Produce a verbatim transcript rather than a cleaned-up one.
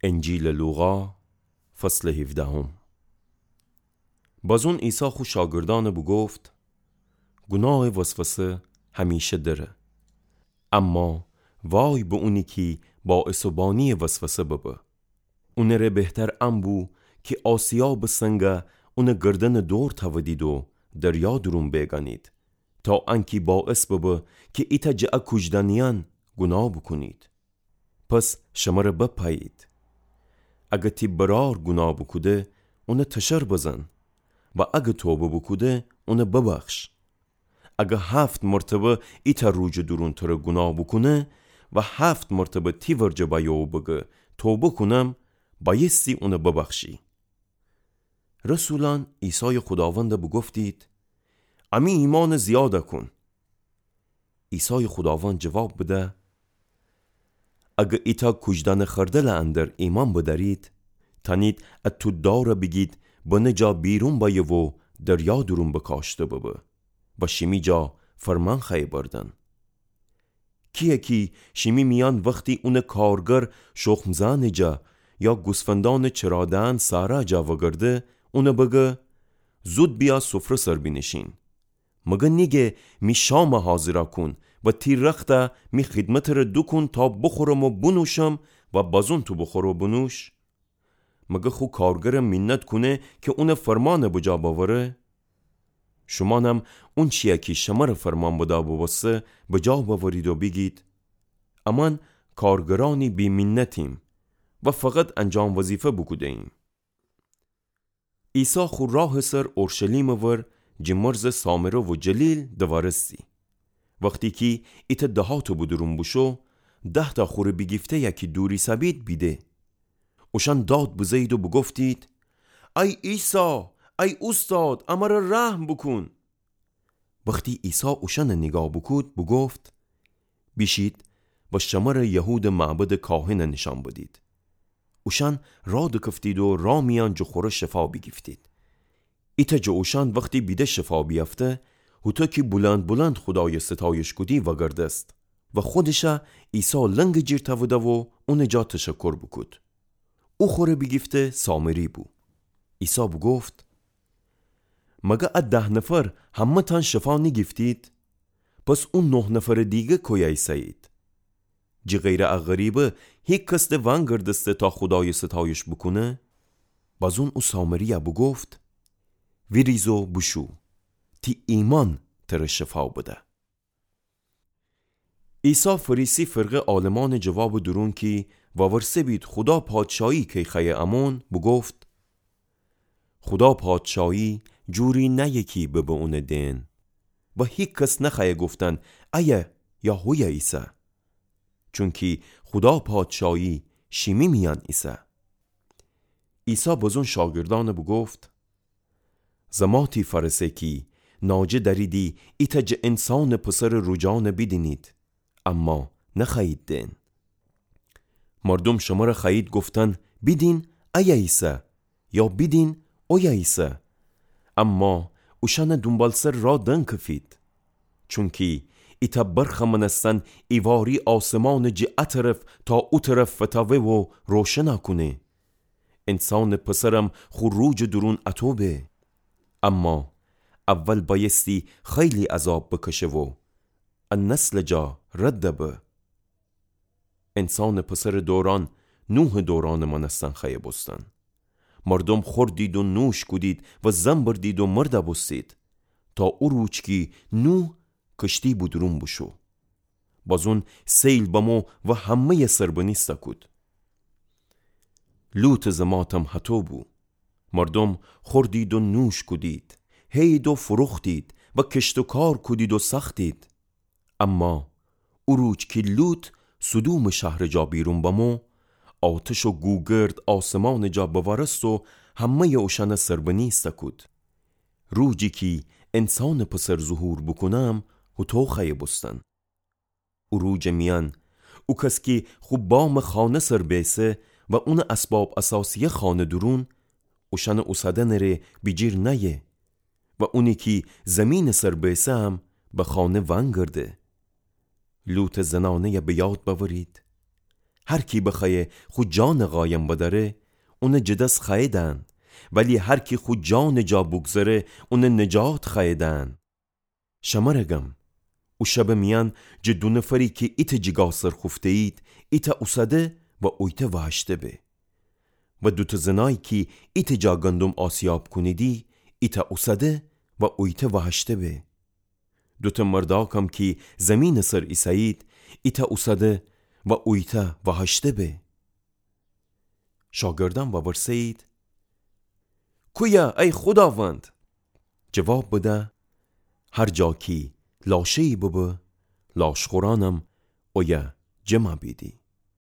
انجیلٚ لوقا، فصلٚ هیفدهم. بازون عیسی خو شاگردأنَ بوگفت: گوناهٚ وسوسه همیشه دره. اما وای به اونی کی باعث و بانیٚ وسوسه ببه. اونٚره بهتر ان بو کی آسیابٚ سنگ اونٚ گردنٚ دور تأودید و دریا دورون بیگانید، تا انکی باعث ببه کی ایتأ جٚه ا کوجدأنیأن گوناه بوکونید. پس شمره بپأیید. اگه تی برأر گوناه بوکوده، اونَ تشر بزن و اگه توبه بوکوده، اونَ ببخش. اگه هفت مرتبه ایتأ روجٚ دورون تره گوناه بوکونه و هفت مرتبه تی ورجه بأیه و بگه توبه کونم، بأیستی اونَ ببخشی. رسولأن عیسایٚ خوداوندَ بوگفتید: امی ایمانَ زیادَ کون. عیسایٚ خوداوند جواب بده: اگه ایتأ کوجدأنٚ خردلٚ اندر ایمأن بدأرید، تأنید ا تودارَ بیگید بنه جا بیرون بأیه و دریا دورون بکاشته ببه و شیمی جا فرمان خوأیه بردن. کی‌یه کی شیمی میأن وختی اونٚ کارگر شخم زئنٚ جا یا گوسفندأنٚ چرا دئن صحرا جا وگرده، اونَ بگه: زود بیأ سفره سر بینیشین. مگه نیگه: می شامَ حاضرَ کون و تی رختَ می خدمتٚ ره دوکون تا بوخورم و بونوشم و بازون تو بوخور و بونوش؟ مگه خو کارگرَ مینت کونه کی اونٚ فرمانَ بجا بأوره؟ شومأنم اونچی‌یه کی شمره فرمان بدا بوبوسته بجا بأورید و بیگید: امأن کارگرأنی بی‌مینتیم و فقط انجام وظیفه بوکوده‌ییم. عیسی خو راهٚ سر اورشلیمٚ ور جٚه مرزٚ سامره و جلیل دوأرستی. وختی کی ایتأ دهاتٚ بودورون بوشو، دهتأ خوره بیگیفته‌یَ کی دور ایسه‌بید بیده. اوشأن داد بزه‌یید و بوگفتید: ای عیسی، ای اوستاد، امره رحم بوکون. وختی عیسی اوشأنَ نیگاه بوکود، بوگفت: بیشید و شمره یهودٚ معبدٚ کاهنَ نیشأن بدید. اوشأن راه دکفتید و راه میأن جٚه خوره شفا بیگیفتید. ایتأ جٚه اوشأن وختی بیده شفا بیأفته، هوطو کی بلند بلند خودایَ ستایش کودی وأگردست و خودشَ عیسی لنگٚ جیر تأوده و اونٚ جا تشکر بوکود. او خوره بیگیفته سامری بو. عیسی بوگفت: مگه ا ده نفر همه‌تأن شفا نیگیفتید؟ پس او نه نفرٚ دیگر کویه ایسه‌یید؟ جٚه غیرٚ ا غریبه هیکس ده وأنگردسته تا خودایَ ستایش بوکونه؟ بازون او سامری‌یَ بوگفت: ویریز و بوشو، تی ایمأن تره شفا بده. عیسی فریسی فرقه عالمأنٚ جوابٚ دورون کی وورسه‌بید خودا پادشاهی کی خوأیه امون، بوگفت: خودا پادشاهی جوری نأیه کی ببه اونٚ دئن و هیکس نخوأیه گفتن ایه یا هویه ایسه، چونکی خودا پادشاهی شیمی میأن ایسه. عیسی بازون شاگردأنَ بوگفت: زماتی فأرسه کی ناجه دأریدی ایتأ جٚه انسانٚ پسرٚ روجأنَ بیدینید، اما نخوأیید دئن. مردوم شمره خوأیید گفتن: بیدین ایه ایسه، یا بیدین اویه ایسه. اما اوشأنٚ دونبالسر راه دنکفید. چونکی ایتأ برخٚ مأنستن ایواری آسمانَ جٚه ا طرف تا او طرف فتاوه و روشنَ کونه. انسانٚ پسرم خو روجٚ دورون اطو به. اما اول بأیستی خیلی عذاب بکشه و ا نسلٚ جا رد به. انسانٚ پسرٚ دورأن نوحٚ دورأنٚ مأنستن خوأیه بوستن. مردوم خوردید و نوش کودید و زن بردید و مرده بوستید، تا او روج کی نوح کشتی بودورون بوشو. بازون سیل بمو و همه‌یَ سربنیسته کود. لوطٚ زماتم هطو بو. مردوم خوردید و نوش کودید، هئید و فروختید و کشت و کار کودید و سأختید. اما او روج کی لوط سدومٚ شهرٚ جا بیرون بمو، آتش و گوگرد آسمانٚ جا بوأرست و همه‌یَ اوشأنَ سربنیسته کود. روجی کی انسانٚ پسر ظهور بوکونم، هوطو خوأیه بوستن. او روجٚ میأن او کس کی خو بامٚ خانه سر بیسه و اونٚ اسباب اساسی‌یَ خوأنه دورون، اوشأنٚ اوسادنٚ ره بیجیر نأیه و اونی کی زیمینٚ سر بیسه هم به خانه وأنگرده. لوطٚ زنأنه‌یَ به یاد بأورید. هر کی بخوأیه خو جانٚ قایم بدأره، اونٚ جٚه دس خوأیه دأن، ولی هر کی خو جانٚ جا بوگذره، اونٚ نجات خوأیه دأن. شمره گم، او شبٚ میأن جٚه دو نفری کی ایتأ جیگا سر خوفته‌یید، ایتأ اوسده و اویتأ وهشته به. و دوتأ زنایی کی ایتأ جا گندم آسیاب کونیدی، ایتأ اوسده و اویتأ وهشته به. دوتأ مرداکم کی زیمینٚ سر ایسه‌یید، ایتأ اوسده و اویتأ وهشته به. شاگردأن وورسه‌یید: کویه ای خوداوند؟ جواب بده: هر جا کی لاشه‌یی ببه، لاشخورأنم اویه جمع بیدی.